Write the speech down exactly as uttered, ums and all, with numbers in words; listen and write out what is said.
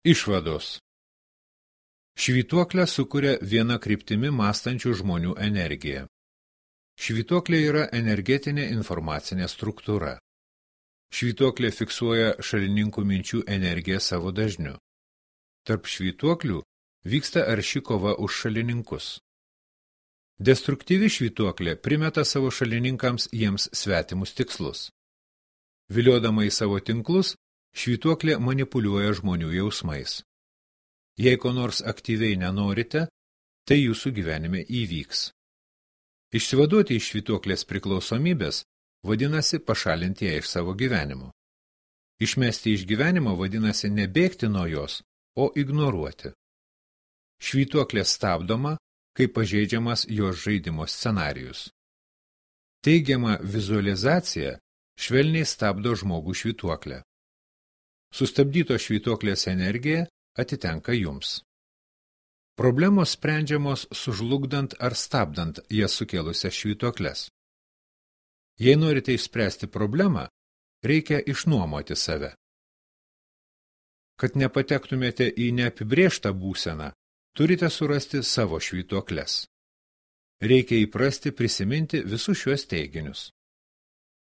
Išvados. Švytuoklę sukuria viena kryptimi mąstančių žmonių energija. Švytuoklė yra energetinė informacinė struktūra. Švytuoklė fiksuoja šalininkų minčių energiją savo dažniu. Tarp švytuoklių vyksta arši kova už šalininkus. Destruktyvi švytuoklė primeta savo šalininkams jiems svetimus tikslus. Viliodama į savo tinklus, švytuoklė manipuliuoja žmonių jausmais. Jei ko nors aktyviai nenorite, tai jūsų gyvenime įvyks. Išsivaduoti iš švytuoklės priklausomybės vadinasi pašalinti ją iš savo gyvenimo. Išmesti iš gyvenimo vadinasi nebėgti nuo jos, o ignoruoti. Švytuoklė stabdoma, kai pažeidžiamas jos žaidimo scenarijus. Teigiama vizualizacija švelniai stabdo žmogų švytuoklę. Sustabdyto švytuoklės energija atitenka jums. Problemos sprendžiamos sužlugdant ar stabdant jas sukėlusias švytuokles. Jei norite išspręsti problemą, reikia išnuomoti save. Kad nepatektumėte į neapibrėžtą būseną, turite surasti savo švytuokles. Reikia įprasti prisiminti visus šiuos teiginius.